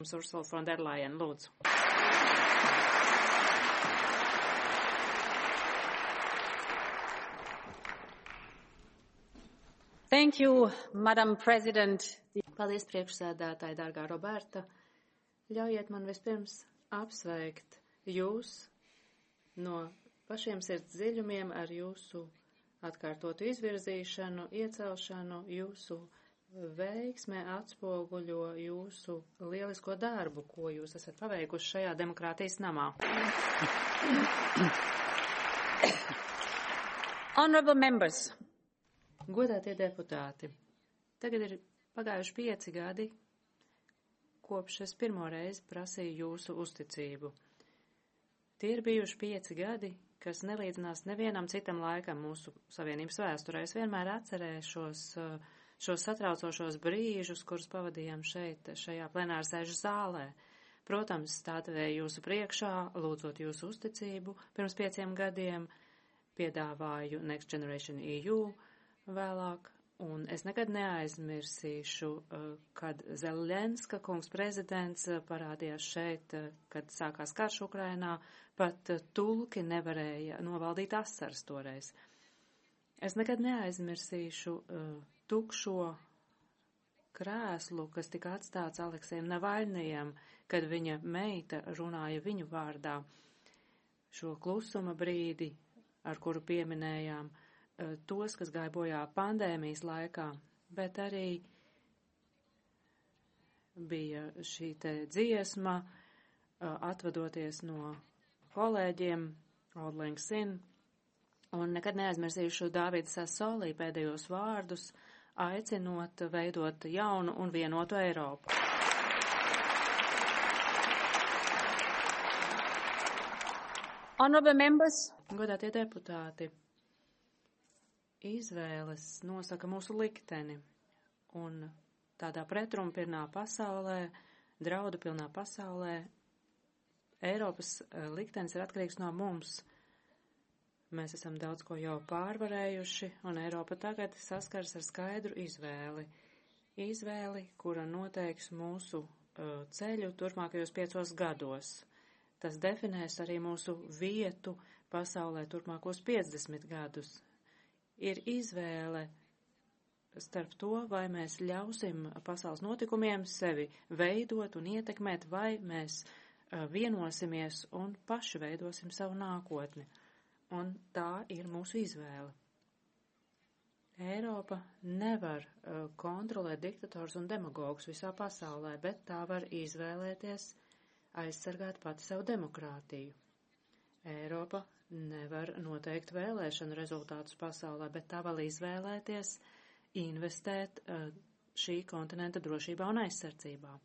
Ursula von der Leyen, lūdzu. Thank you, Madam President. Paldies, priekšsēdētāji, dārgā Roberta. Ļaujiet man vispirms apsveikt jūs no pašiem sirds dziļumiem ar jūsu atkārtotu izvirzīšanu, iecelšanu, jūsu veiksme atspoguļo jūsu lielisko darbu, ko jūs esat paveikuši šajā demokrātijas namā. Honorable members. Godātie deputāti, tagad ir pagājuši 5 gadi, kopš es pirmo reizi prasīju jūsu uzticību. Tie ir bijuši 5 gadi, kas nelīdzinās nevienam citam laikam mūsu savienības vēsturē. Es vienmēr atcerēšos šos satraucošos brīžus, kurus pavadījām šajā plenārsēžu zālē. Protams, stāvēju jūsu priekšā, lūdzot jūsu uzticību. Pirms 5 gadiem piedāvāju Next Generation EU vēlāk, un es nekad neaizmirsīšu, kad Zelenska kungs prezidents parādījās šeit, kad sākās karš Ukrainā, pat tulki nevarēja novaldīt asaras toreiz. Es nekad neaizmirsīšu tukšo krēslu, kas tika atstāts Aleksejam Navaļnijam, kad viņa meita runāja viņu vārdā. Šo klusuma brīdi, ar kuru pieminējām tos, kas gāja bojā pandēmijas laikā, bet arī bija šī te dziesma, atvadoties no kolēģiem, Auld Lang Syne, un nekad neaizmirsīšu Dāvida Sasolī pēdējos vārdus, aicinot veidot jaunu un vienotu Eiropu. Honorable members. Godātie deputāti, izvēles nosaka mūsu likteni, un tādā pretrunpilnā pasaulē, draudu pilnā pasaulē, Eiropas liktenis ir atkarīgs no mums. Mēs esam daudz ko jau pārvarējuši, un Eiropa tagad saskars ar skaidru izvēli. Izvēli, kura noteiks mūsu ceļu turpmākajos 5 gados. Tas definēs arī mūsu vietu pasaulē turpmākos 50 gadus. Ir izvēle starp to, vai mēs ļausim pasaules notikumiem sevi veidot un ietekmēt, vai mēs vienosimies un paši veidosim savu nākotni. Un tā ir mūsu izvēle. Eiropa nevar kontrolēt diktators un demagogus visā pasaulē, bet tā var izvēlēties aizsargāt pati savu demokrātiju. Eiropa nevar noteikt vēlēšanu rezultātus pasaulē, bet tā var izvēlēties investēt šī kontinenta drošībā un aizsardzībā.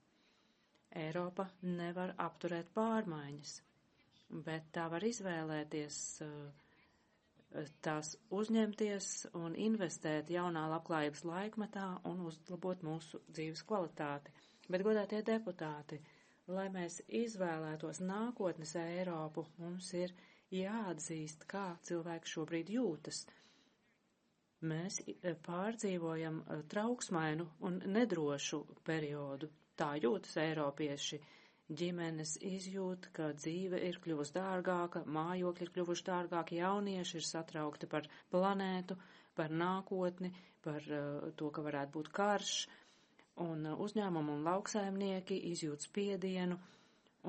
Eiropa nevar apturēt pārmaiņas, bet tā var izvēlēties tās uzņemties un investēt jaunā labklājības laikmetā un uzlabot mūsu dzīves kvalitāti. Bet, godātie deputāti, lai mēs izvēlētos nākotnes Eiropu, mums ir jāatzīst, kā cilvēki šobrīd jūtas. Mēs pārdzīvojam trauksmainu un nedrošu periodu. Tā jūtas eiropieši. Ģimenes izjūt, ka dzīve ir kļuvusi dārgāka, mājokļi ir kļuvuši dārgāki, jaunieši ir satraukti par planētu, par nākotni, par to, ka varētu būt karš, un uzņēmumi un lauksaimnieki izjūt spiedienu,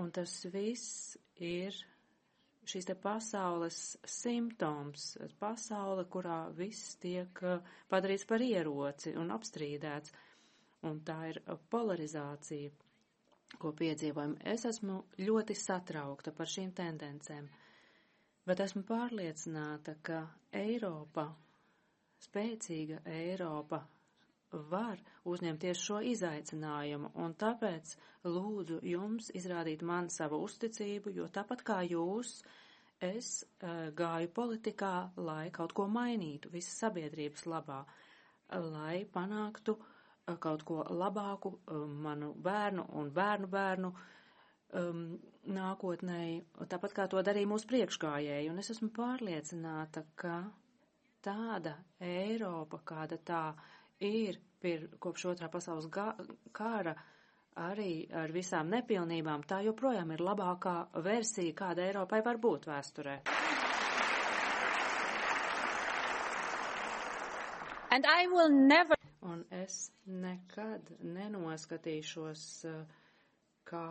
un tas viss ir šīs te pasaules simptoms, pasaule, kurā viss tiek padarīts par ieroci un apstrīdēts, un tā ir polarizācija, ko piedzīvojam. Es esmu ļoti satraukta par šīm tendencēm, bet esmu pārliecināta, ka Eiropa, spēcīga Eiropa, var uzņemties šo izaicinājumu, un tāpēc lūdzu jums izrādīt man savu uzticību, jo tāpat kā jūs, es gāju politikā, lai kaut ko mainītu visas sabiedrības labā, lai panāktu kaut ko labāku manu bērnu un bērnu bērnu nākotnēji, tāpat kā to darīja mūsu priekšgājēji, un es esmu pārliecināta, ka tāda Eiropa, kāda tā ir kopš otrā pasaules kara, arī ar visām nepilnībām, tā joprojām ir labākā versija, kāda Eiropai var būt vēsturē. And I will never. Un es nekad nenoskatīšos, kā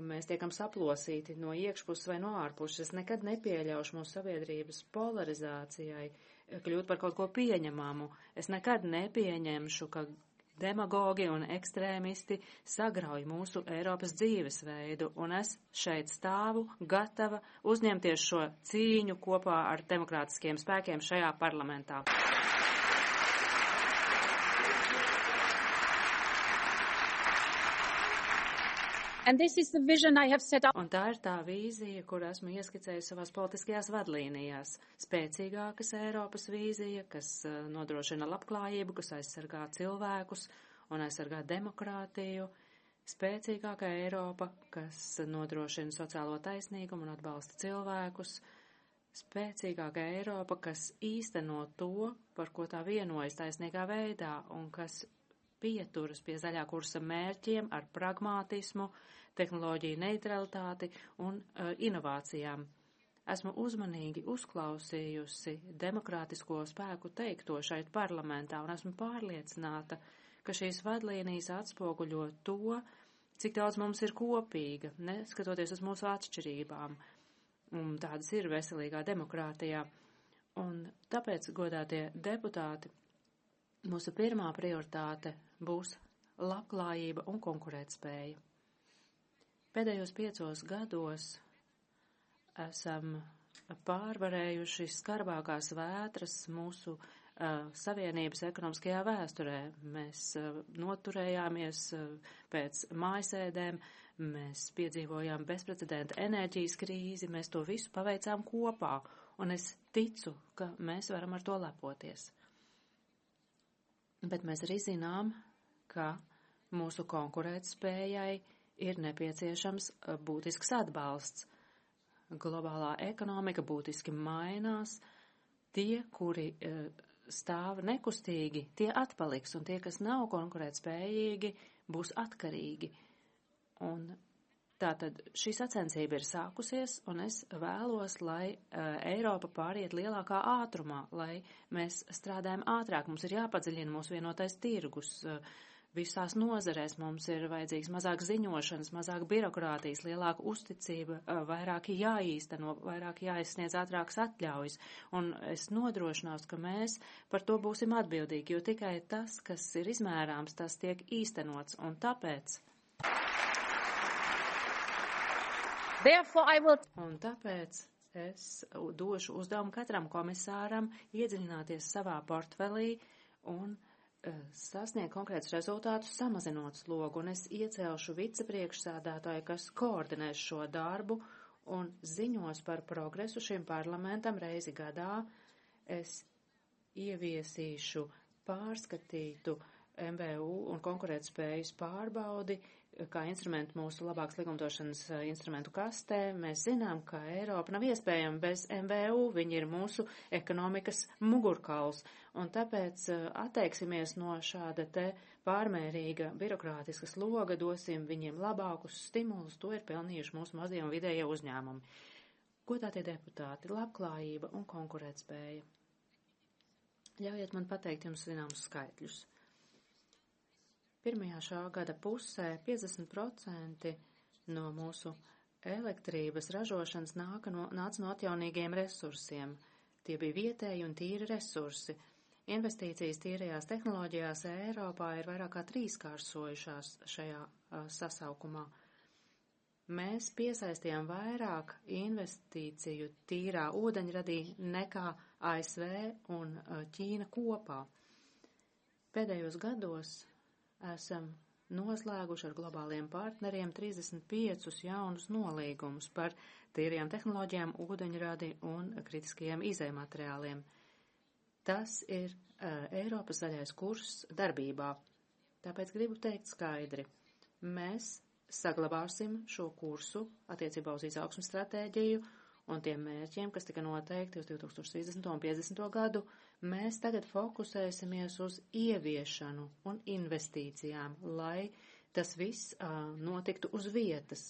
mēs tiekam saplosīti no iekšpuses vai no ārpuses. Es nekad nepieļaušu mūsu sabiedrības polarizācijai kļūt par kaut ko pieņemamu. Es nekad nepieņemšu, ka demagogi un ekstrēmisti sagrauj mūsu Eiropas dzīvesveidu, un es šeit stāvu gatava uzņemties šo cīņu kopā ar demokrātiskiem spēkiem šajā parlamentā. And this is the vision I have set up. Un tā ir tā vīzija, kur esmu ieskicējusi savās politiskajās vadlīnijās. Spēcīgākas Eiropas vīzija, kas nodrošina labklājību, kas aizsargā cilvēkus un aizsargā demokrātiju. Spēcīgāka Eiropa, kas nodrošina sociālo taisnīgumu un atbalsta cilvēkus. Spēcīgāka Eiropa, kas īsteno to, par ko tā vienojas taisnīgā veidā un kas pieturas pie zaļā kursa mērķiem ar pragmātismu, tehnoloģiju neutralitāti un inovācijām. Esmu uzmanīgi uzklausījusi demokrātisko spēku teikto šeit parlamentā un esmu pārliecināta, ka šīs vadlīnijas atspoguļo to, cik daudz mums ir kopīga, neskatoties uz mūsu atšķirībām. Un tādas ir veselīgā demokrātijā. Un tāpēc, godātie deputāti, mūsu pirmā prioritāte būs labklājība un konkurētspēja. Pēdējos 5 gados esam pārvarējuši skarbākās vētras mūsu Savienības ekonomiskajā vēsturē. Mēs noturējāmies pēc mājasēdēm, mēs piedzīvojām bezprecedenta enerģijas krīzi, mēs to visu paveicām kopā, un es ticu, ka mēs varam ar to lepoties. Bet mēs arī zinām, ka mūsu konkurētspējai ir nepieciešams būtisks atbalsts. Globālā ekonomika būtiski mainās. Tie, kuri stāv nekustīgi, tie atpaliks, un tie, kas nav konkurētspējīgi, būs atkarīgi. Un tātad šī sacensība ir sākusies, un es vēlos, lai Eiropa pāriet lielākā ātrumā, lai mēs strādājam ātrāk. Mums ir jāpadziļina mūsu vienotais tirgus. Visās nozarēs mums ir vajadzīgs mazāk ziņošanas, mazāk birokrātijas, lielāka uzticība, vairāk jāīsteno, vairāk jāizsniedz ātrākas atļaujas. Un es nodrošināšu, ka mēs par to būsim atbildīgi, jo tikai tas, kas ir izmērāms, tas tiek īstenots. Un tāpēc es došu uzdevumu katram komisāram iedziļināties savā portfelī un sasniegt konkrētus rezultātus, samazinot slogu, un es iecelšu vicepriekšsēdētāju, kas koordinēs šo darbu un ziņos par progresu šim parlamentam reizi gadā. Es ieviesīšu pārskatītu MVU un konkurētspējas pārbaudi, kā instrumentu mūsu labākas likumdošanas instrumentu kastē. Mēs zinām, ka Eiropa nav iespējama bez MVU, viņi ir mūsu ekonomikas mugurkauls, un tāpēc atteiksimies no šāda te pārmērīga birokrātiska sloga, dosim viņiem labākus stimulus, to ir pelnījuši mūsu mazie un vidējie uzņēmumi. Godātie deputāti, labklājība un konkurētspēja. Ļaujiet man pateikt jums zināmus skaitļus. Pirmajā šā gada pusē 50% no mūsu elektrības ražošanas nāca no atjaunīgiem resursiem. Tie bija vietēji un tīri resursi. Investīcijas tīrajās tehnoloģijās Eiropā ir vairāk kā 3-kāršojušās šajā sasaukumā. Mēs piesaistījām vairāk investīciju tīrā ūdeņradī nekā ASV un Ķīna kopā. Pēdējos gados esam noslēguši ar globāliem partneriem 35 jaunus nolīgumus par tīrajām tehnoloģijām, ūdeņradi un kritiskajiem izējumateriāliem. Tas ir Eiropas zaļais kurs darbībā. Tāpēc gribu teikt skaidri. Mēs saglabāsim šo kursu attiecībā uz izaugsmes stratēģiju un tiem mērķiem, kas tika noteikti uz 2030. un 50. gadu, mēs tagad fokusēsimies uz ieviešanu un investīcijām, lai tas viss notiktu uz vietas,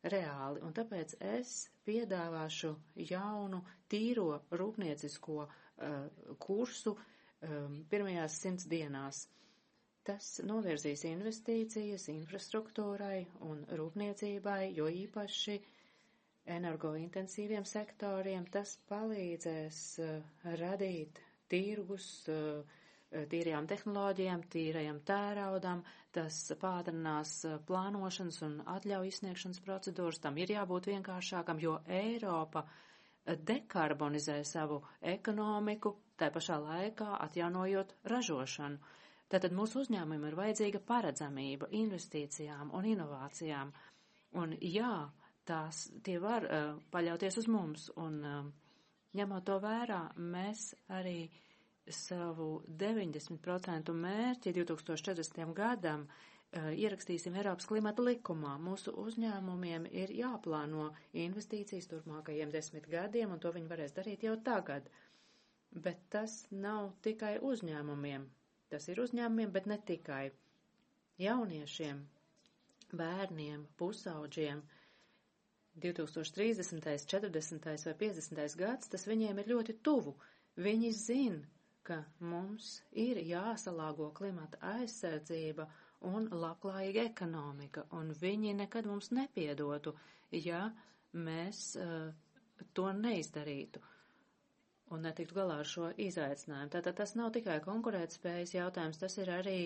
reāli, un tāpēc es piedāvāšu jaunu, tīro rūpniecisko kursu pirmajās 100 dienās. Tas novirzīs investīcijas infrastruktūrai un rūpniecībai, jo īpaši energointensīviem sektoriem tas palīdzēs radīt tirgus tīrajām tehnoloģijām, tīrajam tēraudam, tas pātrinās plānošanas un atļauju izsniegšanas procedūras, tam ir jābūt vienkāršākam, jo Eiropa dekarbonizē savu ekonomiku, tā pašā laikā atjaunojot ražošanu. Tātad mūsu uzņēmumiem ir vajadzīga paredzamība investīcijām un inovācijām, un jā, tie var paļauties uz mums, un ņemot to vērā, mēs arī savu 90% mērķi 2040. gadam ierakstīsim Eiropas klimata likumā. Mūsu uzņēmumiem ir jāplāno investīcijas turpmākajiem 10 gadiem, un to viņi varēs darīt jau tagad. Bet tas nav tikai uzņēmumiem. Tas ir uzņēmumiem, bet ne tikai. Jauniešiem, bērniem, pusauģiem, 2030., 40. vai 50. gads, tas viņiem ir ļoti tuvu. Viņi zina, ka mums ir jāsalāgo klimata aizsardzība un labklājīga ekonomika, un viņi nekad mums nepiedotu, ja mēs to neizdarītu un netiktu galā ar šo izaicinājumu. Tātad tas nav tikai konkurētspējas jautājums, tas ir arī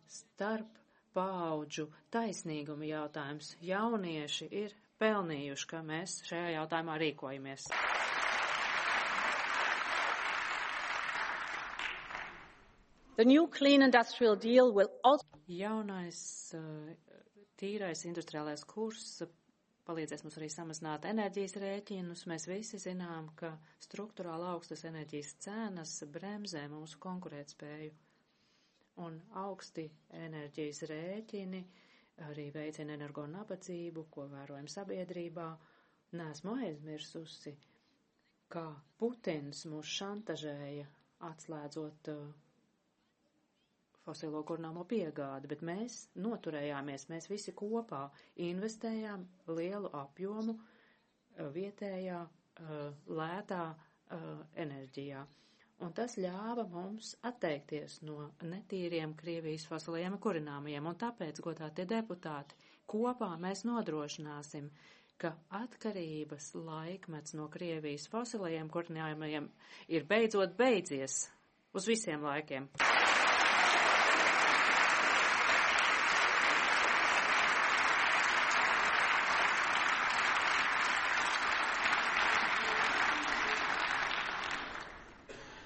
starp paudžu taisnīguma jautājums. Jaunieši ir pelnījuši, ka mēs šajā jautājumā rīkojamies. The new clean industrial deal will also... Jaunais tīrais industriālais kurs palīdzēs mums arī samazināt enerģijas rēķinus. Mēs visi zinām, ka struktūrāli augstas enerģijas cenas bremzē mūsu konkurētspēju. Un augsti enerģijas rēķini arī veicina energo nabadzību, ko vērojam sabiedrībā. Nesmu aizmirsusi, kā Putins mūs šantažēja atslēdzot fosilo kurināmo piegādi, bet mēs noturējāmies, mēs visi kopā investējām lielu apjomu vietējā lētā enerģijā. Un tas ļāva mums atteikties no netīriem Krievijas fosilajiem kurināmajiem, un tāpēc, godātie deputāti, kopā mēs nodrošināsim, ka atkarības laikmets no Krievijas fosilajiem kurināmajiem ir beidzot beidzies uz visiem laikiem.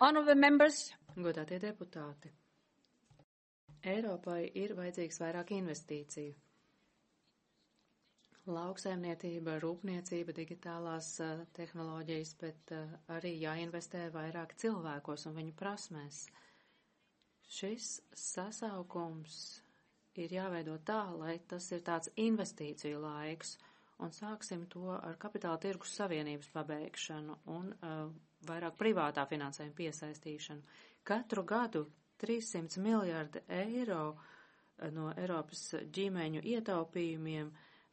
Honorable members, godātie deputāti, Eiropai ir vajadzīgs vairāk investīciju. Lauksaimniecība, rūpniecība, digitālās tehnoloģijas, bet arī jāinvestē vairāk cilvēkos un viņu prasmēs. Šis sasaukums ir jāveido tā, lai tas ir tāds investīciju laiks, un sāksim to ar kapitāla tirgus savienības pabeigšanu un vairāk privātā finansējuma piesaistīšanu. Katru gadu 300 miljārdi eiro no Eiropas ģimeņu ietaupījumiem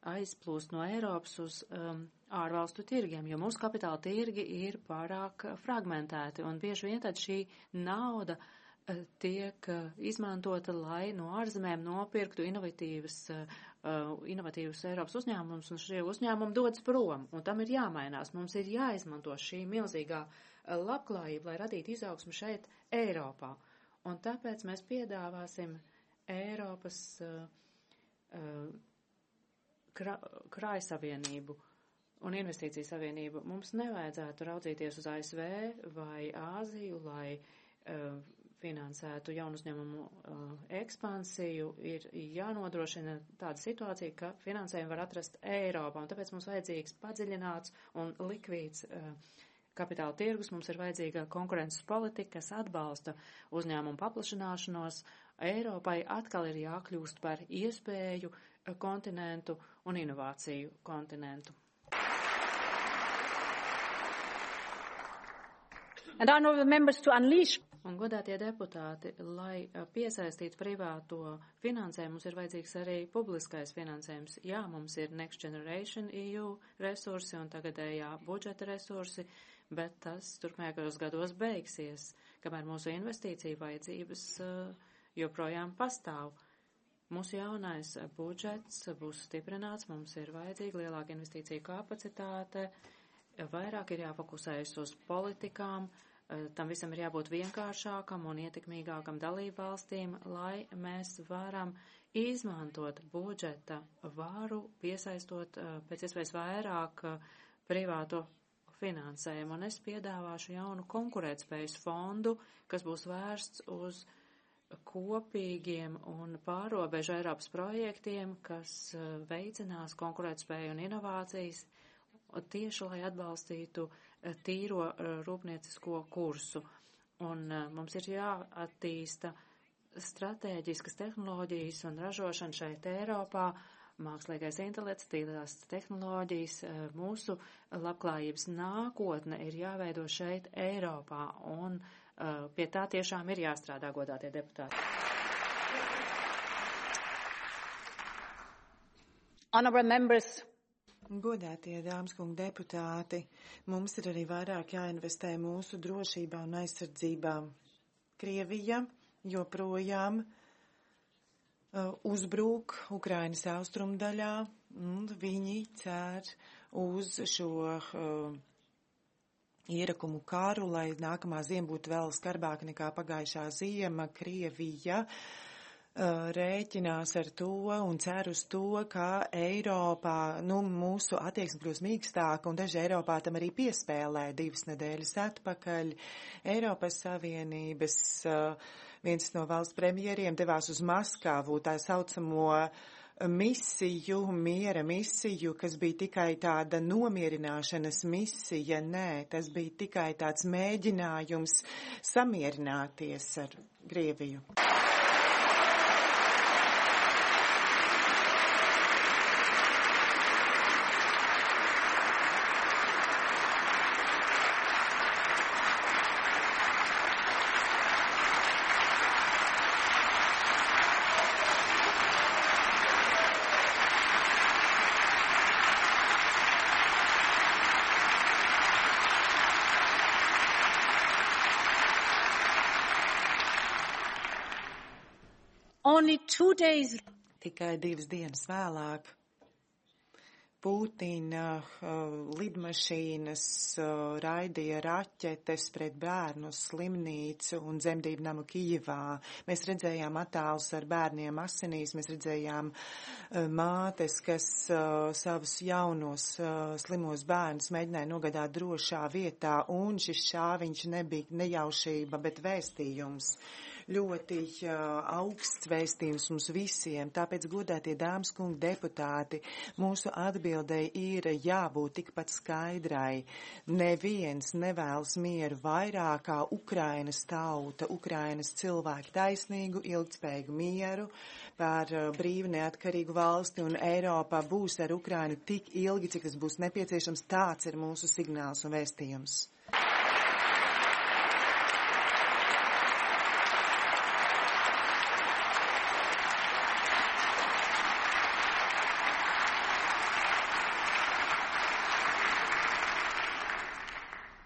aizplūst no Eiropas uz ārvalstu tirgiem, jo mūsu kapitāla tirgi ir pārāk fragmentēti, un bieži vien tad šī nauda tiek izmantota, lai no ārzemēm nopirktu inovatīvus Eiropas uzņēmumus, un šie uzņēmumi dodas prom, un tam ir jāmainās. Mums ir jāizmanto šī milzīgā labklājība, lai radītu izaugsmu šeit Eiropā. Un tāpēc mēs piedāvāsim Eiropas krājsavienību un investīciju savienību. Mums nevajadzētu raudzīties uz ASV vai Āziju, lai finansētu jaunu uzņēmumu ekspansiju. Ir jānodrošina tāda situācija, ka finansējumu var atrast Eiropā, un tāpēc mums vajadzīgs padziļināts un likvīds kapitāla tirgus, mums ir vajadzīga konkurences politika, kas atbalsta uzņēmumu paplašināšanos. Eiropai atkal ir jākļūst par iespēju kontinentu un inovāciju kontinentu. And honorable members, to unleash. Un, godātie deputāti, lai piesaistītu privāto finansējumu, mums ir vajadzīgs arī publiskais finansējums. Jā, mums ir Next Generation EU resursi un tagadējā budžeta resursi, bet tas turpmākajos gados beigsies, kamēr mūsu investīcija vajadzības joprojām pastāv. Mūsu jaunais budžets būs stiprināts, mums ir vajadzīga lielāka investīcija kapacitāte, vairāk ir jāfokusējas uz politikām, tam visam ir jābūt vienkāršākam un ietekmīgākam dalību valstīm, lai mēs varam izmantot budžeta varu, piesaistot pēc iespējas vairāk privāto finansējumu. Un es piedāvāšu jaunu konkurētspējas fondu, kas būs vērsts uz kopīgiem un pārobežu Eiropas projektiem, kas veicinās konkurētspēju un inovācijas, tieši lai atbalstītu tīro rūpniecisko kursu. Un mums ir jāattīsta stratēģiskas tehnoloģijas un ražošana šeit Eiropā, mākslīgais intelekts, tīrās tehnoloģijas, mūsu labklājības nākotne ir jāveido šeit Eiropā, un pie tā tiešām ir jāstrādā, godātie deputāti. Honourable members, Godātie dāmas kungi deputāti, mums ir arī vairāk jāinvestē mūsu drošībā un aizsardzībā. Krievija joprojām uzbrūk Ukrainas austrumdaļā, un viņi cer uz šo ierakumu karu, lai nākamā ziema būtu vēl skarbāka nekā pagājušā ziema. Krievija rēķinās ar to un cer uz to, ka Eiropā, mūsu attieksme kļūs mīkstāka, un daži Eiropā tam arī piespēlē 2 nedēļas atpakaļ. Eiropas Savienības viens no valsts premjeriem devās uz Maskavu, tā saucamo misiju, miera misiju, kas bija tikai tāda nomierināšanas misija. Nē, tas bija tikai tāds mēģinājums samierināties ar Krieviju. only 2 days. Tikai 2 dienas vēlāk Putina lidmašīnas raidīja raķetes pret bērnu slimnīcu un dzemdību namu Kijivā. Mēs redzējām attēlus ar bērniem asinīs, mēs redzējām mātes, kas savus jaunos slimos bērnus mēģināja nogādāt drošā vietā, un šis šāviņš nebija nejaušība, bet vēstījums. Ļoti augsts vēstījums mums visiem, tāpēc, godātie dāmas kungi deputāti, mūsu atbildei ir jābūt tikpat skaidrai. Neviens nevēlas mieru vairāk kā Ukrainas tauta, Ukrainas cilvēki, taisnīgu, ilgtspējīgu mieru par brīvu neatkarīgu valsti, un Eiropā būs ar Ukrainu tik ilgi, cik tas būs nepieciešams. Tāds ir mūsu signāls un vēstījums.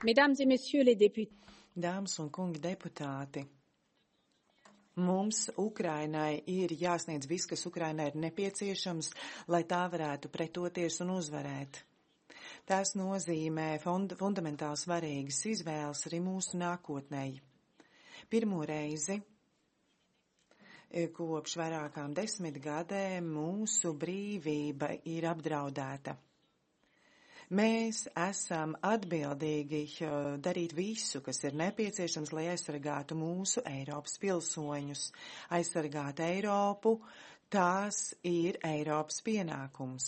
Mesdames et messieurs les députés. Dāmas un kungi deputāti, mums Ukrainai ir jāsniedz viss, kas Ukrainai ir nepieciešams, lai tā varētu pretoties un uzvarēt. Tas nozīmē fundamentāli svarīgas izvēles arī mūsu nākotnei. Pirmo reizi kopš vairākām 10 gadiem mūsu brīvība ir apdraudēta. Mēs esam atbildīgi darīt visu, kas ir nepieciešams, lai aizsargātu mūsu Eiropas pilsoņus. Aizsargāt Eiropu, tās ir Eiropas pienākums.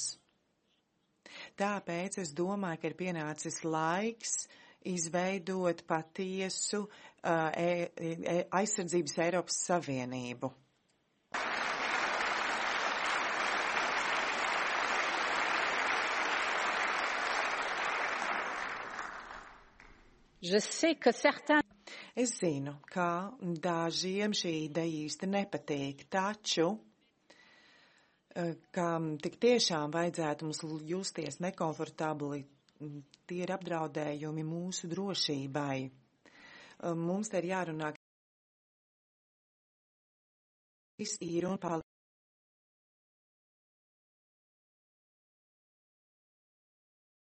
Tāpēc es domāju, ka ir pienācis laiks izveidot patiesu aizsardzības Eiropas Savienību. Je sais que certains Es zinu, ka dažiem šī ideja īsti nepatīk, taču, kam tik tiešām vajadzētu mums justies nekomfortabli, tie ir apdraudējumi mūsu drošībai. Mums te ir jārunā, kas ir un paliek.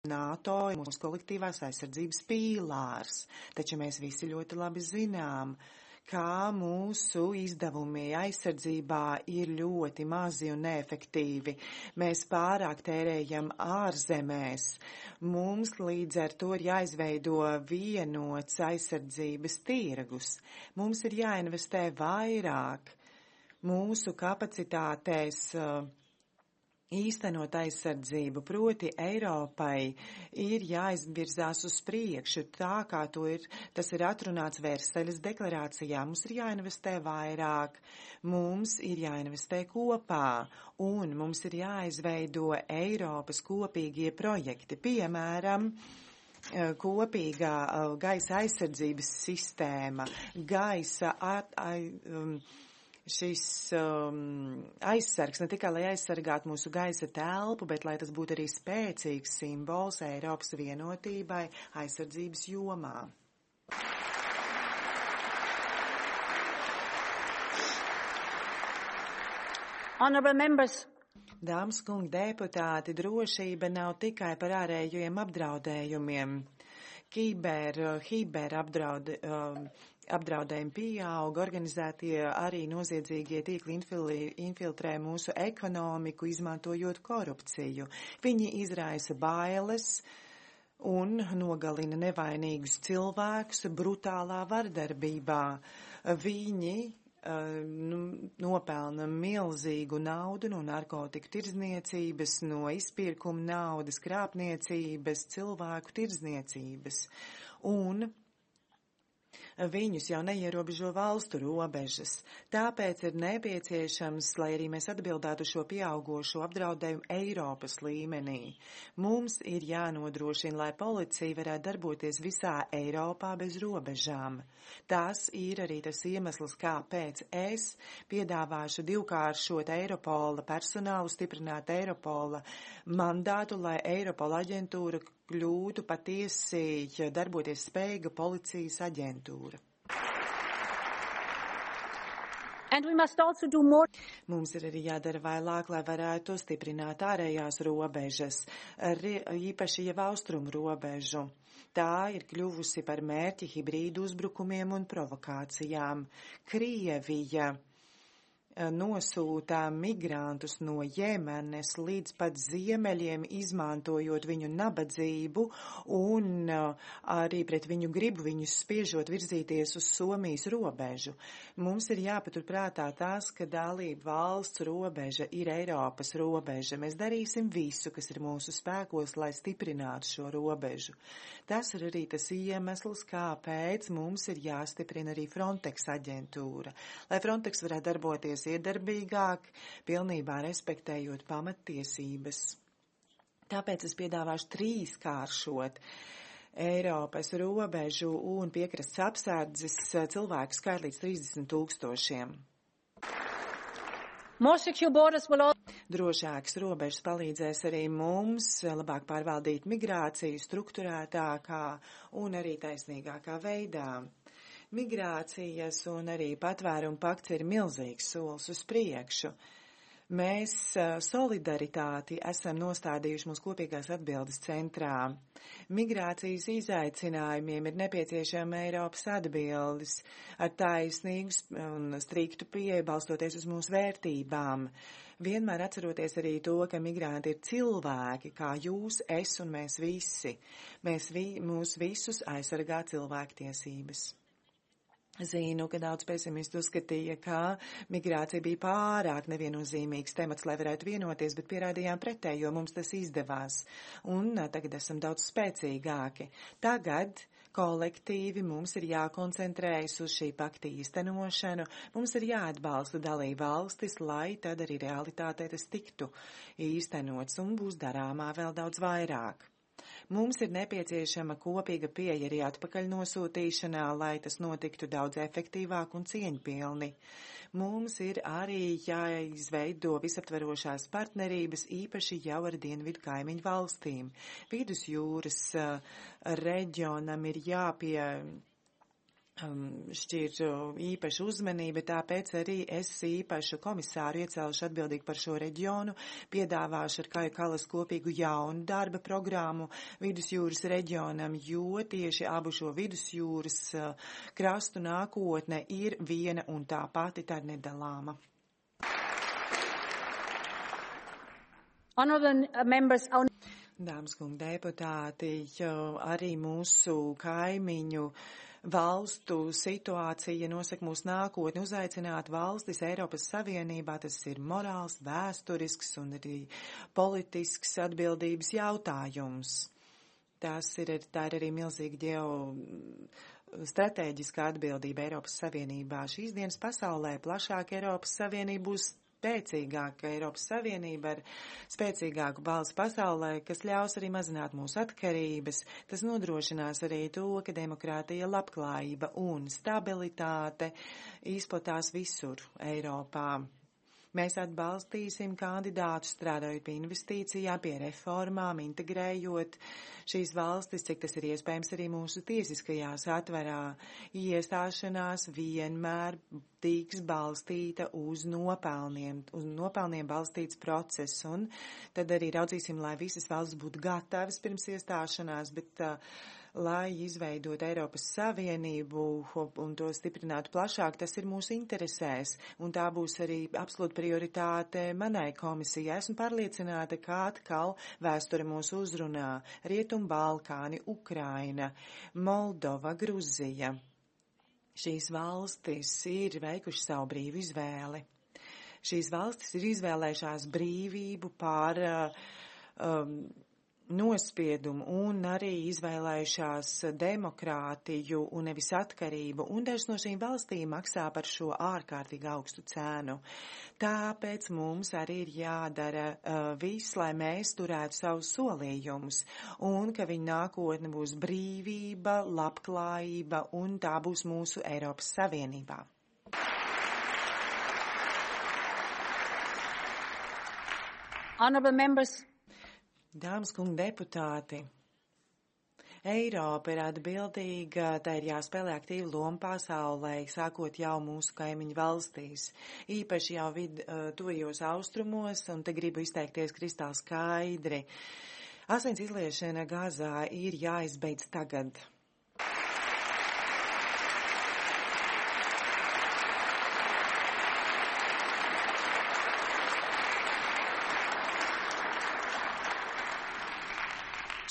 NATO ir mūsu kolektīvās aizsardzības pīlārs, taču mēs visi ļoti labi zinām, kā mūsu izdevumi aizsardzībā ir ļoti mazi un neefektīvi. Mēs pārāk tērējam ārzemēs. Mums līdz ar to ir jāizveido vienots aizsardzības tirgus. Mums ir jāinvestē vairāk mūsu kapacitātēs, īstenot aizsardzību, proti Eiropai ir jāizvirzās uz priekšu, tā kā tas ir atrunāts Versaļas deklarācijā. Mums ir jāinvestē vairāk, mums ir jāinvestē kopā, un mums ir jāizveido Eiropas kopīgie projekti, piemēram, kopīgā gaisa aizsardzības sistēma, gaisa šis aizsargs ne tikai, lai aizsargātu mūsu gaisa telpu, bet lai tas būtu arī spēcīgs simbols Eiropas vienotībai aizsardzības jomā. Honourable members. Dāmas kungi deputāti, drošība nav tikai par ārējiem apdraudējumiem. Apdraudējumi pieauga, organizētie arī noziedzīgie tīkli infiltrē mūsu ekonomiku, izmantojot korupciju. Viņi izraisa bailes un nogalina nevainīgus cilvēkus brutālā vardarbībā. Viņi nopelna milzīgu naudu no narkotiku tirdzniecības, no izpirkuma naudas, krāpniecības, cilvēku tirdzniecības. Un viņus jau neierobežo valstu robežas. Tāpēc ir nepieciešams, lai arī mēs atbildētu šo pieaugošo apdraudējumu Eiropas līmenī. Mums ir jānodrošina, lai policija varētu darboties visā Eiropā bez robežām. Tas ir arī tas iemesls, kāpēc es piedāvāšu divkāršot Eiropola personālu, stiprināt Eiropola mandātu, lai Eiropola aģentūra kļūtu patiesi darboties spējīga policijas aģentūra. And we must also do more. Mums ir arī jādara vairāk, lai varētu stiprināt ārējās robežas, īpaši jau austrumu robežu. Tā ir kļuvusi par mērķi hibrīdu uzbrukumiem un provokācijām. Krievija nosūtā migrantus no Jemenes līdz pat ziemeļiem, izmantojot viņu nabadzību un arī pret viņu gribu viņus spiežot virzīties uz Somijas robežu. Mums ir jāpaturprātā tas, ka dalība valsts robeža ir Eiropas robeža. Mēs darīsim visu, kas ir mūsu spēkos, lai stiprinātu šo robežu. Tas ir arī tas iemesls, kāpēc mums ir jāstiprina arī Frontex aģentūra, lai Frontex varētu darboties iedarbīgāk, pilnībā respektējot pamattiesības. Tāpēc es piedāvāšu trīskāršot Eiropas robežu un piekrastes apsardzes cilvēku skaitu līdz 30,000. More secure borders will also. Drošākas robežas palīdzēs arī mums labāk pārvaldīt migrāciju strukturētākā un arī taisnīgākā veidā. Migrācijas un arī patvērumu pakts ir milzīgs solis uz priekšu. Mēs solidaritāti esam nostādījuši mūsu kopīgās atbildes centrā. Migrācijas izaicinājumiem ir nepieciešama Eiropas atbildes ar taisnīgu un striktu pieeju balstoties uz mūsu vērtībām. Vienmēr atceroties arī to, ka migranti ir cilvēki, kā jūs, es un mēs visi. Mūs visus aizsargā cilvēktiesības. Zinu, ka daudz pesimistu uzskatīja, ka migrācija bija pārāk neviennozīmīgs temats, lai varētu vienoties, bet pierādījām pretējo, jo mums tas izdevās. Un tagad esam daudz spēcīgāki. Tagad kolektīvi mums ir jākoncentrējas uz šī pakta īstenošanu, mums ir jāatbalsta dalība valstis, lai tad arī realitātē tas tiktu īstenots un būs darāmā vēl daudz vairāk. Mums ir nepieciešama kopīga pieeja arī atpakaļ nosūtīšanā, lai tas notiktu daudz efektīvāk un cieņpilni. Mums ir arī jāizveido visaptverošās partnerības, īpaši jau ar dienvidu kaimiņu valstīm. Vidusjūras reģionam ir šķir īpaša uzmanība, tāpēc arī es īpašu komisāru iecelšu atbildīgi par šo reģionu, piedāvāšu ar Kaju Kalas kopīgu jaunu darba programmu Vidusjūras reģionam, jo tieši abu šo Vidusjūras krastu nākotne ir viena un tā pati, tā ir nedalāma. Honourable members, Dāmas un deputāti, arī mūsu kaimiņu valstu situācija nosaka mūsu nākotni. Uzaicināt valstis Eiropas Savienībā, tas ir morāls, vēsturisks un arī politisks atbildības jautājums. Tā ir arī milzīga strateģiska atbildība Eiropas Savienībā. Šīs dienas pasaulē plašāk Eiropas Savienība būs spēcīgāka Eiropas Savienība ar spēcīgāku balsi pasaulē, kas ļaus arī mazināt mūsu atkarības. Tas nodrošinās arī to, ka demokrātija, labklājība un stabilitāte izplatās visur Eiropā. Mēs atbalstīsim kandidātus strādājot pie investīcijām, pie reformām, integrējot šīs valstis, cik tas ir iespējams arī mūsu tiesiskajā satverā. Iestāšanās vienmēr tiks balstīta uz nopelniem balstīts process, un tad arī raudzīsim, lai visas valsts būtu gatavas pirms iestāšanās, bet lai izveidot Eiropas Savienību un to stiprinātu plašāk, tas ir mūsu interesēs, un tā būs arī absolūta prioritāte manai komisijai. Esmu pārliecināta, ka atkal vēsture mūs uzrunā. Rietum Balkāni, Ukraina, Moldova, Gruzija. Šīs valstis ir veikuši savu brīvu izvēli. Šīs valstis ir izvēlējušās brīvību pār nospiedumu un arī izvēlējušās demokrātiju un nevis atkarību, un dažas no šīm valstīm maksā par šo ārkārtīgi augstu cēnu. Tāpēc mums arī ir jādara viss, lai mēs turētu savus solījumus, un ka viņa nākotne būs brīvība, labklājība, un tā būs mūsu Eiropas Savienībā. honourable members, Dāmas kungi deputāti, Eiropa ir atbildīga, tā ir jāspēlē aktīva loma pasaulē, sākot jau mūsu kaimiņu valstīs, īpaši jau tuvajos austrumos, un te gribu izteikties kristāli skaidri. Asins izliešana Gazā ir jāizbeidz tagad.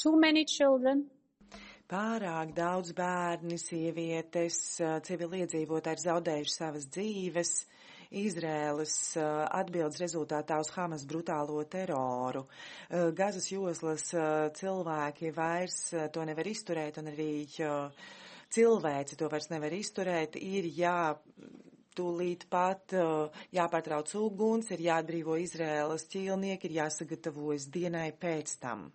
too many children, Pārāk daudz bērni, sievietes, civiliedzīvotāji ir zaudējuši savas dzīves Izrēlas atbildes rezultātā uz Hamas brutālo teroru. Gazas joslas cilvēki vairs to nevar izturēt, un arī cilvēci to vairs nevar izturēt. Ir tūlīt pat jāpārtrauc uguns, ir jāatbrīvo Izrēlas ķīlnieki, ir jāsagatavojas dienai pēc tam.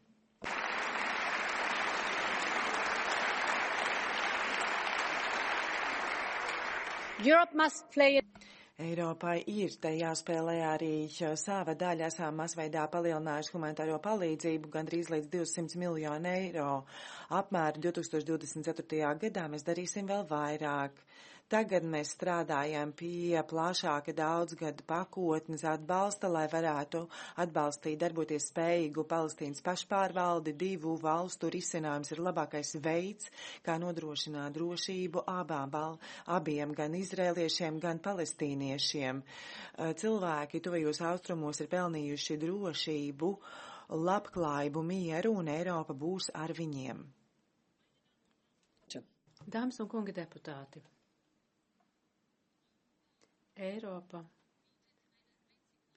Europe must play Eiropai ir te jāspēlē arī sava daļa. Esam masveidā palielinājuši humanitāro palīdzību gandrīz līdz 200 miljonu eiro apmēru 2024. gadā. Mēs darīsim vēl vairāk. Tagad mēs strādājam pie plašāka daudzgada pakotnes atbalsta, lai varētu atbalstīt darboties spējīgu Palestīnas pašpārvaldi. Divu valstu risinājums ir labākais veids, kā nodrošināt drošību abiem, gan izrēliešiem, gan palestīniešiem. Cilvēki tuvajos austrumos ir pelnījuši drošību, labklājību, mieru, un Eiropa būs ar viņiem. Dāmas un kungi deputāti, Eiropa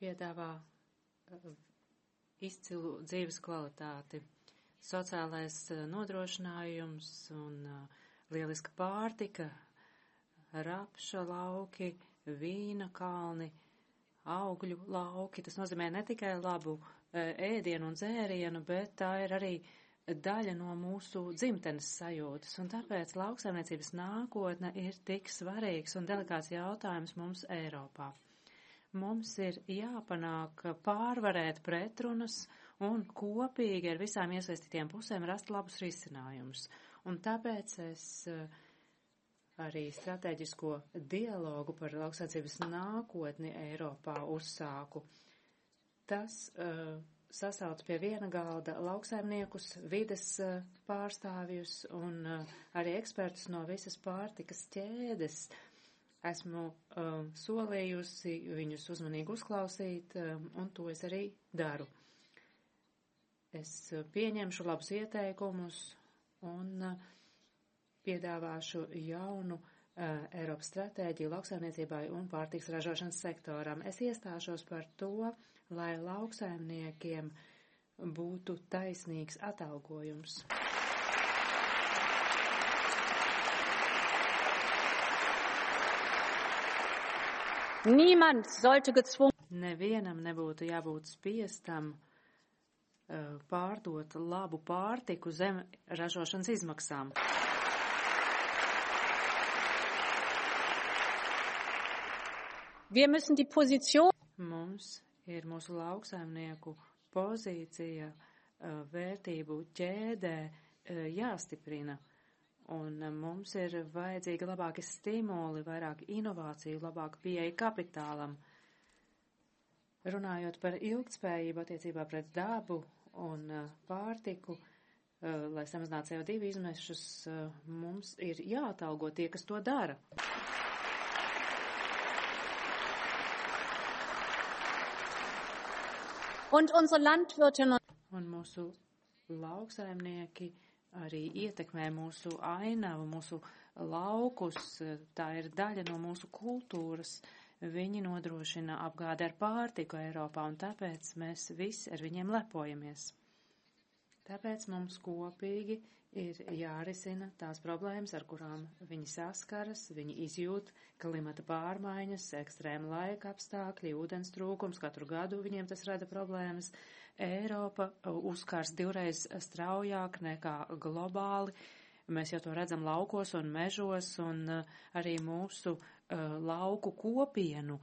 piedāvā izcilu dzīves kvalitāti, sociālais nodrošinājums un lieliska pārtika, rapša lauki, vīna kalni, augļu lauki. Tas nozīmē ne tikai labu ēdienu un dzērienu, bet tā ir arī daļa no mūsu dzimtenes sajūtas, un tāpēc lauksaimniecības nākotne ir tik svarīgs un delikāts jautājums mums Eiropā. Mums ir jāpanāk pārvarēt pretrunas un kopīgi ar visām iesaistītiem pusēm rast labus risinājumus. Un tāpēc es arī strateģisko dialogu par lauksaimniecības nākotni Eiropā uzsāku. Tas sasauc pie viena galda lauksaimniekus, vides pārstāvjus un arī ekspertus no visas pārtikas ķēdes. Esmu solījusi viņus uzmanīgi uzklausīt, un to es arī daru. Es pieņemšu labus ieteikumus un piedāvāšu jaunu Eiropas stratēģiju lauksaimniecībai un pārtiks ražošanas sektoram. Es iestāšos par to, lai lauksaimniekiem būtu taisnīgs atalgojums. Niemand sollte gezwungen. Nevienam nebūtu jābūt spiestam pārdot labu pārtiku zem ražošanas izmaksām. Wir müssen die Position. Mums ir mūsu lauksaimnieku pozīcija vērtību ķēdē jāstiprina. Un mums ir vajadzīgi labāki stimuli, vairāk inovāciju, labāka pieeja kapitālam. Runājot par ilgtspējību attiecībā pret dabu un pārtiku, lai samazinātu CO2 izmešus, mums ir jāatalgo tie, kas to dara. Und unsere Landwirtinnen un mūsu lauksaimnieki arī ietekmē mūsu ainavu, mūsu laukus, tā ir daļa no mūsu kultūras. Viņi nodrošina apgādi ar pārtiku Eiropā, un tāpēc mēs visi ar viņiem lepojamies. Tāpēc mums kopīgi ir jārisina tās problēmas, ar kurām viņi saskaras, viņi izjūt klimata pārmaiņas, ekstrēma laika apstākļi, ūdens trūkums, katru gadu viņiem tas rada problēmas. Eiropa uzkārs divreiz straujāk nekā globāli. Mēs jau to redzam laukos un mežos, un arī mūsu lauku kopienu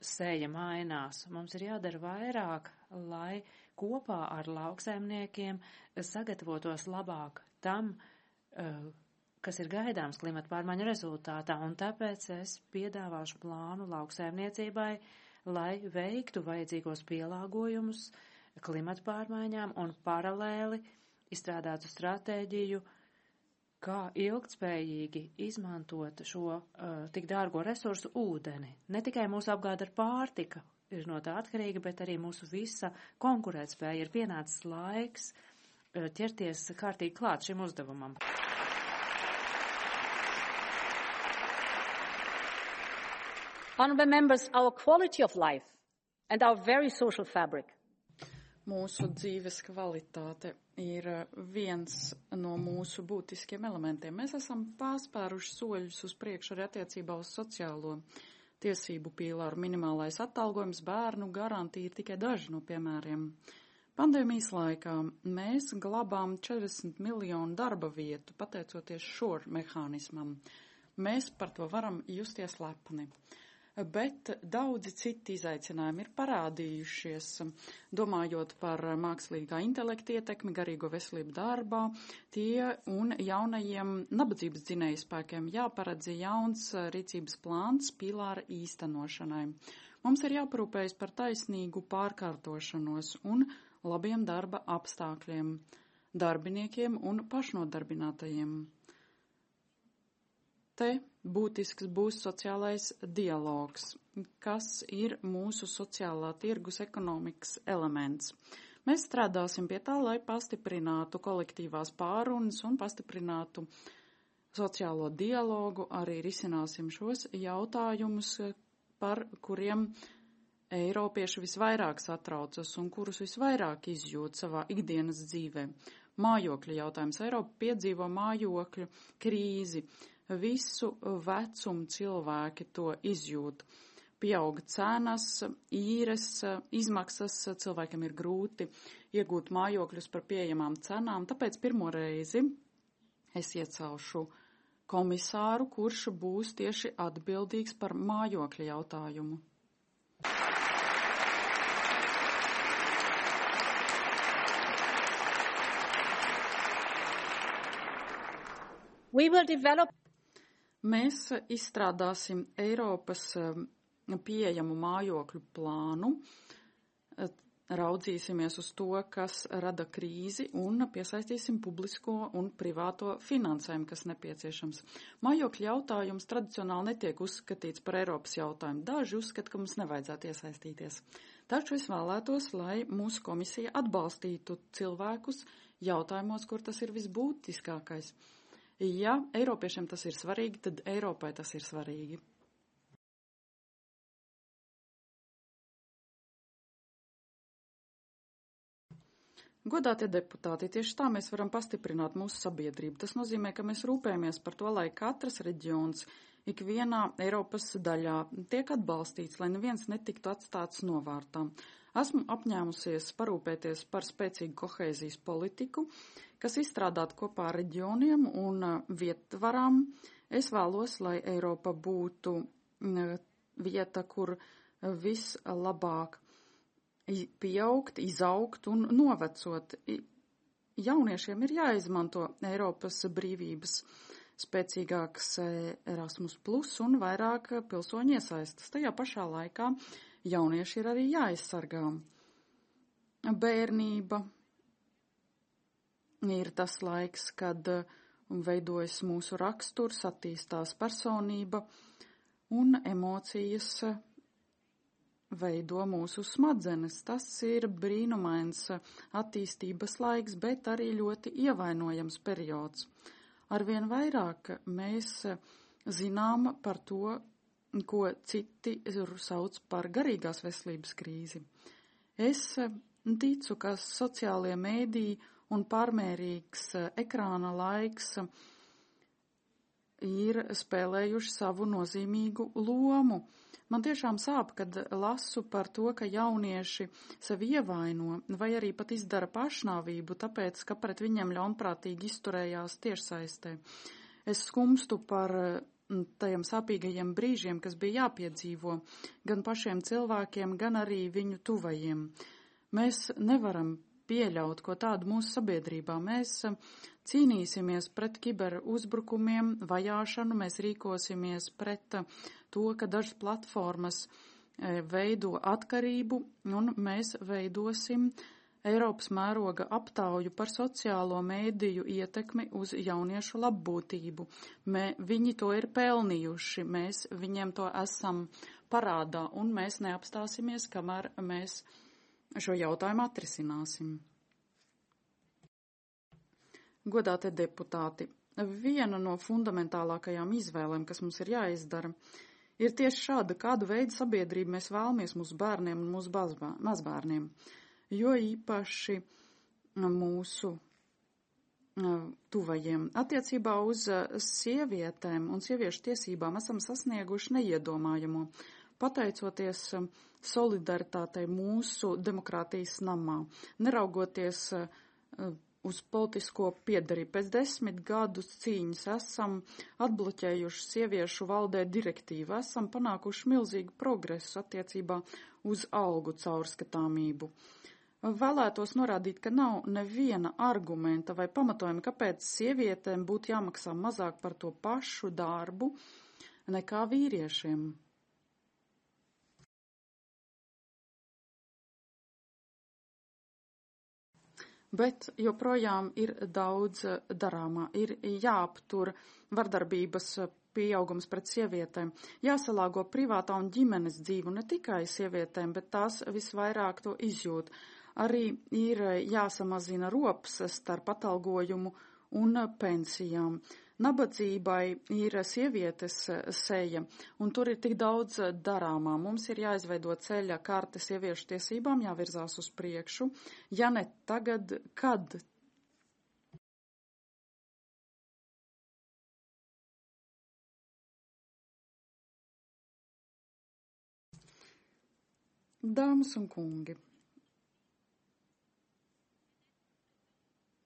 seja mainās. Mums ir jādara vairāk, lai kopā ar lauksaimniekiem sagatavotos labāk tam, kas ir gaidāms klimata pārmaiņu rezultātā, un tāpēc es piedāvāšu plānu lauksaimniecībai, lai veiktu vajadzīgos pielāgojumus klimata pārmaiņām un paralēli izstrādātu stratēģiju, kā ilgtspējīgi izmantot šo tik dārgo resursu ūdeni. Ne tikai mūsu apgāde ar pārtika ir no tā atkarīga, bet arī mūsu visa konkurētspēja. Ir pienācis laiks ķerties kārtīgi klāt šim uzdevumam. Honorable members, our quality of life and our very social fabric. Mūsu dzīves kvalitāte ir viens no mūsu būtiskiem elementiem. Mēs esam pārspēruši soļus uz priekšu arī attiecībā uz sociālo tiesību pīlāru. Minimālais atalgojums, bērnu garantija ir tikai daži no piemēriem. Pandēmijas laikā mēs glabām 40 miljonu darba vietu, pateicoties šor mehānismam. Mēs par to varam justies lepni. Bet daudzi citi izaicinājumi ir parādījušies, domājot par mākslīgā intelekta ietekmi, garīgo veselību darbā, tie un jaunajiem nabadzības dzinējspēkiem jāparedz jauns rīcības plāns pīlāra īstenošanai. Mums ir jāparūpējas par taisnīgu pārkārtošanos un labiem darba apstākļiem, darbiniekiem un pašnodarbinātajiem. Te būtisks būs sociālais dialogs, kas ir mūsu sociālā tirgus ekonomikas elements. Mēs strādāsim pie tā, lai pastiprinātu kolektīvās pārunas un pastiprinātu sociālo dialogu, arī risināsim šos jautājumus, par kuriem eiropieši visvairāk satraucas un kurus visvairāk izjūt savā ikdienas dzīvē. Mājokļu jautājums. Eiropa piedzīvo mājokļu krīzi. Visu vecumu cilvēki to izjūt. pieauga cenas, īres izmaksas, cilvēkiem ir grūti iegūt mājokļus par pieejamām cenām, tāpēc pirmo reizi es iecelšu komisāru, kurš būs tieši atbildīgs par mājokļa jautājumu. Mēs izstrādāsim Eiropas pieejamu mājokļu plānu, raudzīsimies uz to, kas rada krīzi un piesaistīsim publisko un privāto finansējumu, kas nepieciešams. Mājokļu jautājums tradicionāli netiek uzskatīts par Eiropas jautājumu. Daži uzskata, ka mums nevajadzētu iesaistīties. Taču es vēlētos, lai mūsu komisija atbalstītu cilvēkus jautājumos, kur tas ir visbūtiskākais. Ja Eiropiešiem tas ir svarīgi, tad Eiropai tas ir svarīgi. Godātie deputāti, tieši tā mēs varam pastiprināt mūsu sabiedrību. Tas nozīmē, ka mēs rūpējamies par to, lai katrs reģions ikvienā Eiropas daļā tiek atbalstīts, lai neviens netiktu atstāts novārtā. Esmu apņēmusies parūpēties par spēcīgu kohēzijas politiku, kas izstrādāta kopā ar reģioniem un vietvarām. Es vēlos, lai Eiropa būtu vieta, kur vislabāk pieaugt, izaugt un novecot. Jauniešiem ir jāizmanto Eiropas brīvības spēcīgāks Erasmus plus un vairāk pilsoņu iesaistas. Tajā pašā laikā jaunieši ir arī jāaizsargā. Bērnība ir tas laiks, kad veidojas mūsu raksturs, attīstās personība un emocijas veido mūsu smadzenes. Tas ir brīnumains attīstības laiks, bet arī ļoti ievainojams periods. Arvien vairāk mēs zinām par to, ko citi sauc par garīgās veselības krīzi. Es ticu, ka sociālie mēdīji un pārmērīgs ekrāna laiks ir spēlējuši savu nozīmīgu lomu. Man tiešām sāp, kad lasu par to, ka jaunieši sevi ievaino vai arī pat izdara pašnāvību, tāpēc, ka pret viņiem ļaunprātīgi izturējās tiešsaistē. Es skumstu par tajiem sāpīgajiem brīžiem, kas bija jāpiedzīvo gan pašiem cilvēkiem, gan arī viņu tuvajiem. Mēs nevaram pieļaut ko tādu mūsu sabiedrībā. Mēs cīnīsimies pret kiberuzbrukumiem, vajāšanu, mēs rīkosimies pret to, ka dažas platformas veido atkarību, un mēs veidosim Eiropas mēroga aptauju par sociālo mēdīju ietekmi uz jauniešu labbūtību. Viņi to ir pelnījuši, mēs viņiem to esam parādā, un mēs neapstāsimies, kamēr mēs šo jautājumu atrisināsim. Godātie deputāti, viena no fundamentālākajām izvēlēm, kas mums ir jāizdara, ir tieši šāda, kādu veidu sabiedrību mēs vēlamies mūsu bērniem un mūsu mazbērniem, jo īpaši mūsu tuvajiem. Attiecībā uz sievietēm un sieviešu tiesībām esam sasnieguši neiedomājamo, pateicoties solidaritātei mūsu demokrātijas namā, neraugoties uz politisko piedarību. Pēc 10 gadus cīņas esam atbloķējuši sieviešu valdē direktīvu, esam panākuši milzīgu progresu attiecībā uz algu caurskatāmību. Vēlētos norādīt, ka nav neviena argumenta vai pamatojuma, kāpēc sievietēm būtu jāmaksā mazāk par to pašu darbu nekā vīriešiem. Bet joprojām ir daudz darāmā, ir jāaptur vardarbības pieaugums pret sievietēm, jāsalāgo privātā un ģimenes dzīvu ne tikai sievietēm, bet tās visvairāk to izjūt. Arī ir jāsamazina rops starp atalgojumu un pensijām. Nabadzībai ir sievietes seja, un tur ir tik daudz darāmā. Mums ir jāizveido ceļa karte sieviešu tiesībām, jāvirzās uz priekšu. Ja ne tagad, kad? Dāmas un kungi,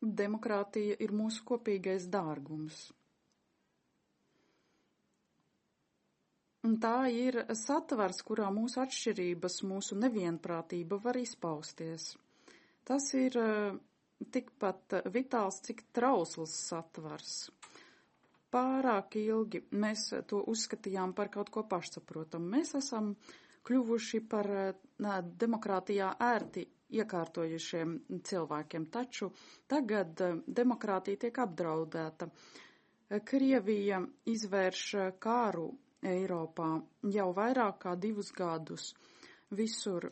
demokrātija ir mūsu kopīgais dārgums. Un tā ir satvers, kurā mūsu atšķirības, mūsu nevienprātība var izpausties. Tas ir tikpat vitāls, cik trausls satvers. Pārāk ilgi mēs to uzskatījām par kaut ko pašsaprotamu. Mēs esam kļuvuši par demokrātijā ērti iekārtojušiem cilvēkiem, taču tagad demokrātija tiek apdraudēta. Krievija izvērš kāru Eiropā jau vairāk kā 2 gadus. Visur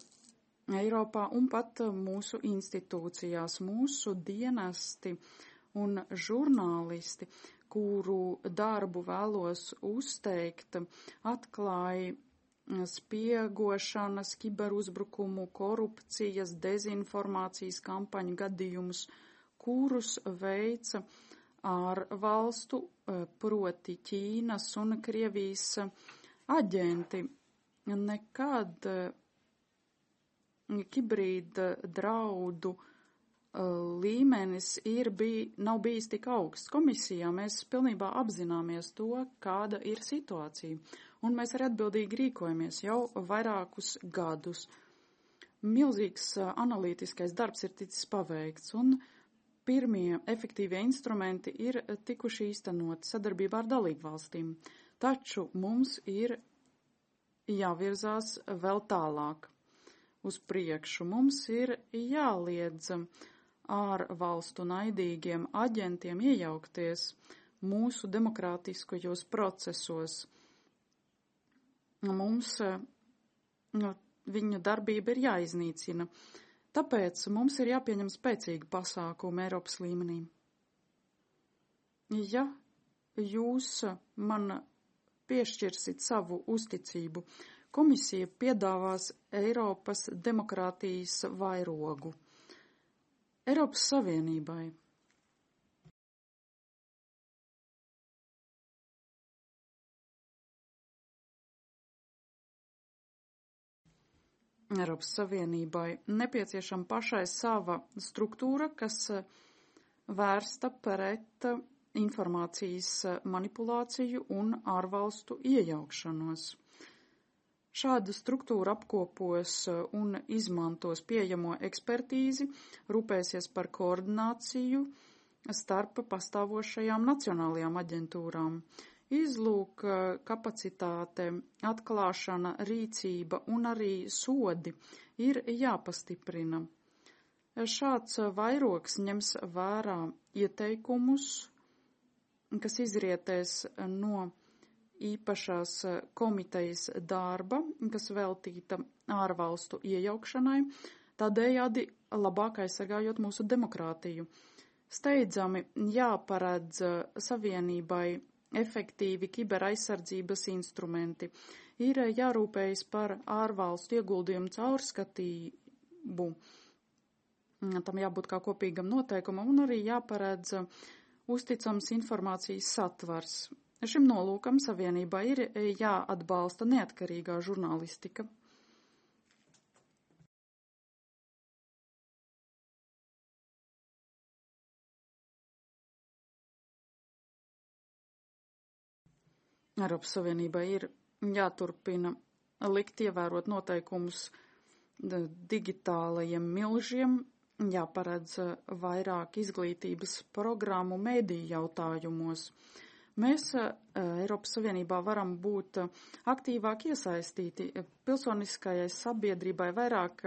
Eiropā un pat mūsu institūcijās, mūsu dienesti un žurnālisti, kuru darbu vēlos uzteikt, atklāja spiegošanas, kiberuzbrukumu, korupcijas, dezinformācijas kampaņu gadījumus, kurus veica ārvalstu, proti Ķīnas un Krievijas aģenti. Nekad hibrīda draudu līmenis nav bijis tik augsts. Komisijā mēs pilnībā apzināmies to, kāda ir situācija, un mēs arī atbildīgi rīkojamies jau vairākus gadus. Milzīgs analītiskais darbs ir ticis paveikts, un pirmie efektīvie instrumenti ir tikuši īstenoti sadarbībā ar dalībvalstīm. Taču mums ir jāvirzās vēl tālāk uz priekšu. Mums ir jāliedz ārvalstu naidīgiem aģentiem iejaukties mūsu demokrātiskajos procesos. Mums viņu darbība ir jāiznīcina. Tāpēc mums ir jāpieņem spēcīgi pasākumi Eiropas līmenī. Ja jūs man piešķirsit savu uzticību, komisija piedāvās Eiropas demokrātijas vairogu. Eiropas Savienībai. Eiropas Savienībai nepieciešama pašai sava struktūra, kas vērsta pret informācijas manipulāciju un ārvalstu iejaukšanos. Šāda struktūra apkopos un izmantos pieejamo ekspertīzi, rūpēsies par koordināciju starp pastāvošajām nacionālajām aģentūrām. Izlūk kapacitāte, atklāšana, rīcība un arī sodi ir jāpastiprina. Šāds vairogs ņems vērā ieteikumus, kas izrietēs no īpašās komitejas darba, kas veltīta ārvalstu iejaukšanai, tādējādi labāk aizsargājot mūsu demokrātiju. Steidzami jāparedz Savienībai efektīvi kiberaizsardzības instrumenti. Ir jārūpējas par ārvalstu ieguldījumu caurskatību. Tam jābūt kā kopīgam noteikumam un arī jāparedz uzticams informācijas satvars. Šim nolūkam Savienībā ir jāatbalsta neatkarīgā žurnālistika. Eiropas Savienībai ir jāturpina likt ievērot noteikumus digitālajiem milžiem, jāparedz vairāk izglītības programmu mediju jautājumos. Mēs Eiropas Savienībā varam būt aktīvāk iesaistīti. Pilsoniskajai sabiedrībai vairāk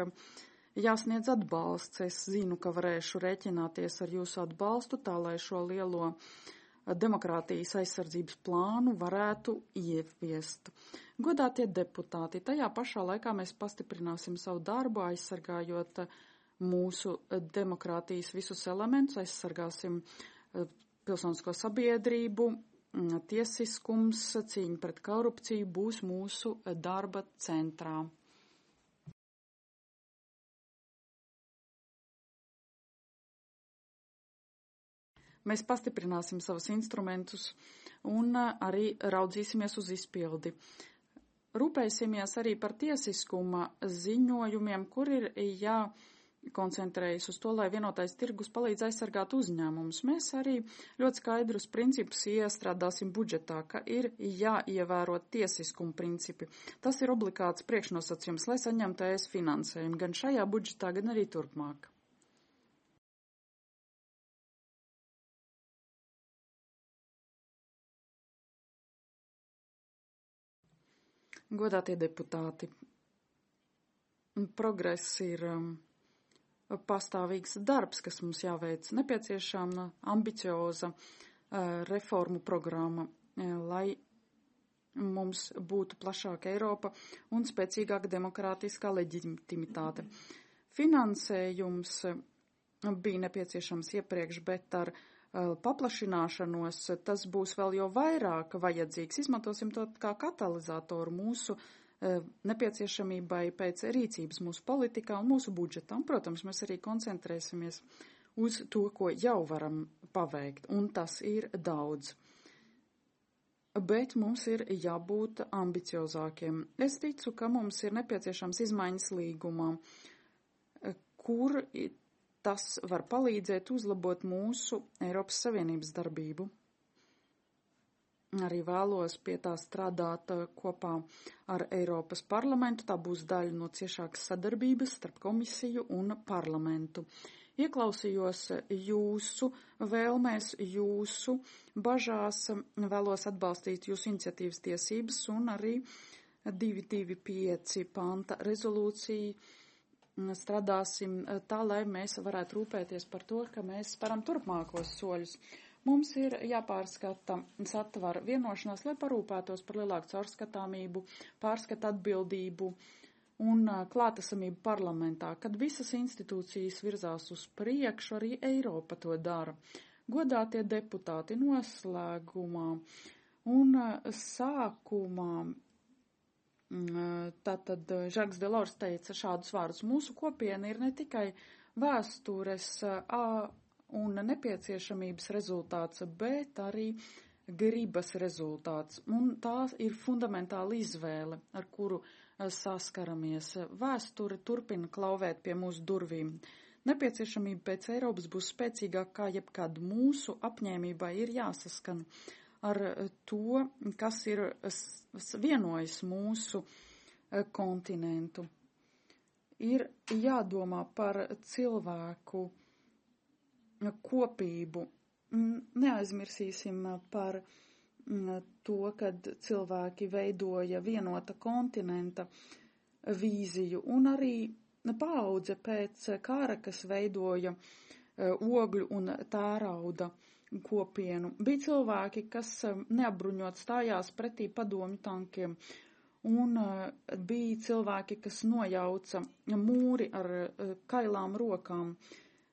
jāsniedz atbalsts. Es zinu, ka varēšu rēķināties ar jūsu atbalstu, tā lai šo lielo demokrātijas aizsardzības plānu varētu ieviest. Godātie deputāti, tajā pašā laikā mēs pastiprināsim savu darbu, aizsargājot mūsu demokrātijas visus elementus, aizsargāsim pilsonisko sabiedrību, tiesiskums, cīņa pret korupciju būs mūsu darba centrā. Mēs pastiprināsim savus instrumentus un arī raudzīsimies uz izpildi. rūpēsimies arī par tiesiskuma ziņojumiem, kur ir jākoncentrējas uz to, lai vienotais tirgus palīdz aizsargāt uzņēmumus. Mēs arī ļoti skaidrus principus iestrādāsim budžetā, ka ir jāievēro tiesiskuma principi. Tas ir obligāts priekšnosacījums, lai saņemtu ES finansējumu gan šajā budžetā, gan arī turpmāk. Godātie deputāti, progress ir pastāvīgs darbs, kas mums jāveic, nepieciešama ambicioza reformu programma, lai mums būtu plašāka Eiropa un spēcīgāka demokrātiskā leģitimitāte. Finansējums bija nepieciešams iepriekš, bet ar paplašināšanos tas būs vēl jau vairāk vajadzīgs. Izmantosim to kā katalizatoru mūsu nepieciešamībai pēc rīcības mūsu politikā un mūsu budžetā. Un, protams, mēs arī koncentrēsimies uz to, ko jau varam paveikt, un tas ir daudz. Bet mums ir jābūt ambiciozākiem. Es ticu, ka mums ir nepieciešams izmaiņas līgumā, kur tas var palīdzēt uzlabot mūsu Eiropas Savienības darbību. Arī vēlos pie tā strādāt kopā ar Eiropas parlamentu. Tā būs daļa no ciešākas sadarbības starp komisiju un parlamentu. Ieklausījos jūsu vēlmēs, jūsu bažās, vēlos atbalstīt jūsu iniciatīvas tiesības un arī 225 panta rezolūciju. Strādāsim tā, lai mēs varētu rūpēties par to, ka mēs sparam turpmākos soļus. Mums ir jāpārskata satvara vienošanās, lai parūpētos par lielāku caurskatāmību, pārskata atbildību un klātesamību parlamentā. Kad visas institūcijas virzās uz priekšu, arī Eiropa to dara. Godātie deputāti, noslēgumā un sākumā. Tātad Žaks Delors teica šādus vārdus. Mūsu kopiena ir ne tikai vēstures un nepieciešamības rezultāts, bet arī gribas rezultāts. Un tā ir fundamentāla izvēle, ar kuru saskaramies. Vēsture turpina klauvēt pie mūsu durvīm. Nepieciešamība pēc Eiropas būs spēcīgāka kā jebkad. Mūsu apņēmībai ir jāsaskan ar to, kas ir vienojis mūsu kontinentu. Ir jādomā par cilvēku kopību. Neaizmirsīsim par to, kad cilvēki veidoja vienota kontinenta vīziju un arī paudze pēc kara, kas veidoja ogļu un tērauda kopienu. Bija cilvēki, kas neapbruņot stājās pretī padomju tankiem, un bija cilvēki, kas nojauca mūri ar kailām rokām.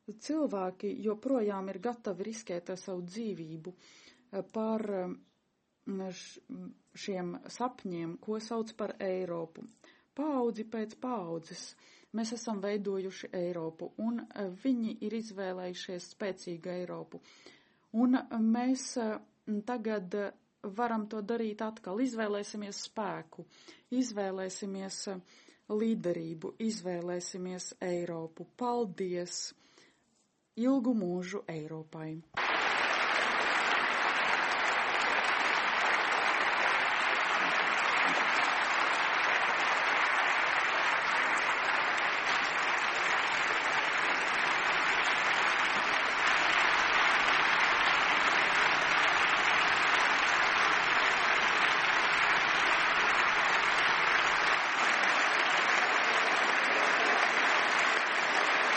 Cilvēki joprojām ir gatavi riskēt ar savu dzīvību par šiem sapņiem, ko sauc par Eiropu. Paudzi pēc paudzes mēs esam veidojuši Eiropu, un viņi ir izvēlējušies spēcīgu Eiropu. Un mēs tagad varam to darīt atkal. Izvēlēsimies spēku, izvēlēsimies līderību, izvēlēsimies Eiropu. Paldies! Ilgu mūžu Eiropai!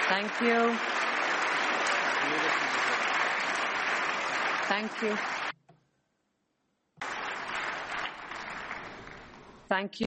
Thank you. Thank you. Thank you.